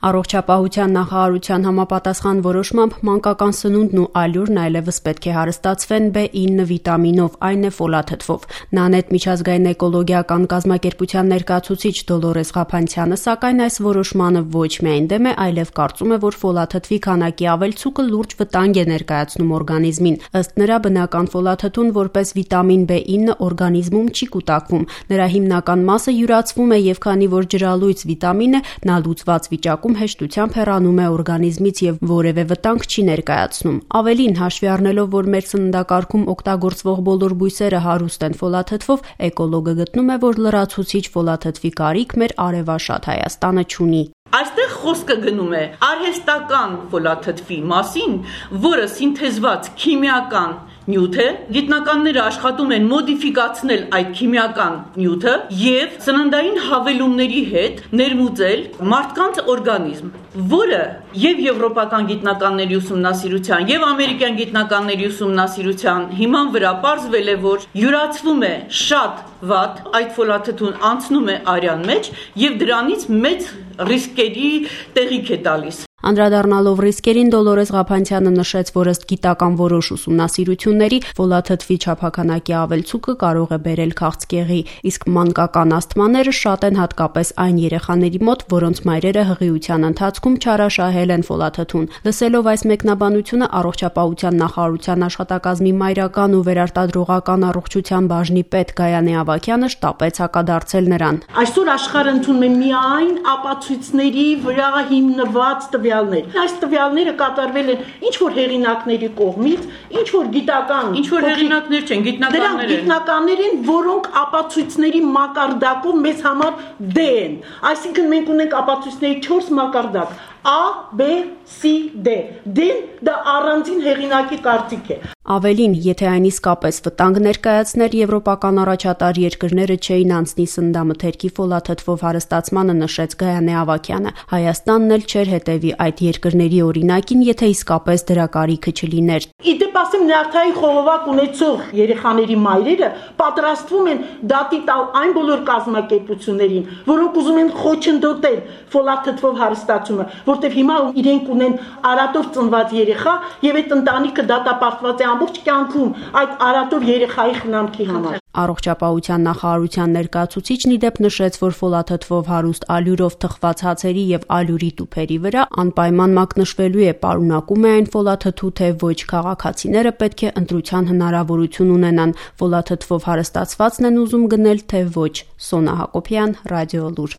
Առողջապահության նախարարության համապատասխան որոշմամբ մանկական սնունդն ու ալյուրն այլևս պետք է հարստացվեն B9 վիտամինով, այն է ֆոլաթթվով։ ՆԱՆԵՏ միջազգային էկոլոգիական կազմակերպության ներկայացուցիչ Դոլորես Ղափանցյանը սակայն այս որոշմանը ոչ միայն դեմ է, այլև կարծում է, որ ֆոլաթթվի քանակի ավելցուկը լուրջ վտանգ է ներկայացնում օրգանիզմին։ Ըստ նրա, բնական ֆոլաթթուն որպես վիտամին B9 օրգանիզմում չի կուտակվում։ Նրա հիմնական մասը յուրացվում է եւ քանի որ ջրալույծ վիտամին է, նա լուծված վիճակում հեշտությամբ հեռանում է օրգանիզմից եւ որևէ վտանգ չի ներկայացնում։ Ավելին, հաշվի առնելով, որ մեր սննդակարգում օգտագործվող բոլոր բույսերը հարուստ են ֆոլաթթվով, էկոլոգը գտնում է, որ լրացուցիչ ֆոլաթթվի կարիք մեր արևաշատ Հայաստանը չունի։ Այստեղ խոսքը գնում է արհեստական ֆոլաթթվի մասին, որը սինթեզված քիմիական նյութ է, գիտնականները աշխատում են մոդիֆիկացնել այդ քիմիական նյութը եւ սննդային հավելումների հետ ներմուծել մարդկանց օրգանիզմ, որը եւ եվրոպական գիտնականների ուսումնասիրության եւ ամերիկյան գիտնականների ուսումնասիրության հիման վրա պարզվել է, որ յուրացվում է շատ վատ, այդ ֆոլաթթուն անցնում է արյան մեջ եւ դրանից մեծ ռիսկերի տեղիք է տալիս։ Անդրադառնալով ռիսկերին, Դոլորես Ղափանցյանը նշեց, որ ըստ գիտական որոշ ուսումնասիրությունների ֆոլաթթվի չափաքանակի ավելցուկը կարող է բերել քաղցկեղի, իսկ մանկական ասթմաները շատ են հատկապես այն երեխաների մոտ, որոնց մայրերը հղիության ընթացքում չարաշահել են ֆոլաթթուն։ Լսելով այս մեկնաբանությունը, առողջապահության նախարարության աշխատակազմի մայրական ու վերարտադրողական առողջության բաժնի պետ Գայանե Ավագյանը շտապեց հակադարձել նրան։ Այսօր աշխարհը ընդունում է միայն ապացույցների վրա հիմնված Այս տվյալները կատարվել են ինչ-որ հեղինակների կողմից, ինչ-որ գիտական... Ինչ-որ հեղինակներ չեն, գիտնականներ են։ Դրանք գիտնականներ են, որոնք ապացույցների մակարդակով մեզ համար D են։ Այսինքն մենք ունենք ապացույցների 4 մակարդակ. A, B, C, D. D-ն դա առանձին հեղինակի կարծիք է։ Ավելին, եթե այն իսկապես վտանգ ներկայացներ, եվրոպական առաջատար երկրները չէին անցնի սննդամթերքի ֆոլաթթվով հարստացմանը, նշեց Գայանե Ավագյանը։ Հայաստանն էլ չէր հետևի այդ երկրների օրինակին, եթե իսկապես դրա կարիքը չլիներ։ Իդեպ ասեմ, նյարդային խողովակ ունեցող երեխաների մայրերը պատրաստվում են դատի տալ այն բոլոր կազմակերպություններին, որոնք ուզում են խոչընդոտել ֆոլաթթվով հարստացումը, որտեղ հիմա իրենք ունեն արատով ծնված երեխա եւ այդ ընտանիքը դատապարտված է ամբողջ կյանքում այդ արատով երեխայի խնամքի համար։ Առողջապահության նախարարության ներկայացուցիչն իդեպ նշեց, որ ֆոլաթթվով հարուստ ալյուրով թխված հացերի եւ ալյուրի տուփերի վրա անպայման մակնշվելու է պարունակում է այն ֆոլաթթու, թե ոչ քաղաքացիները պետք է ընտրության հնարավորություն ունենան։ Ֆոլաթթվով հարստացվածն են ուզում գնել, թե ոչ։ Սոնա Հակոբյան, Ռադիոլուր։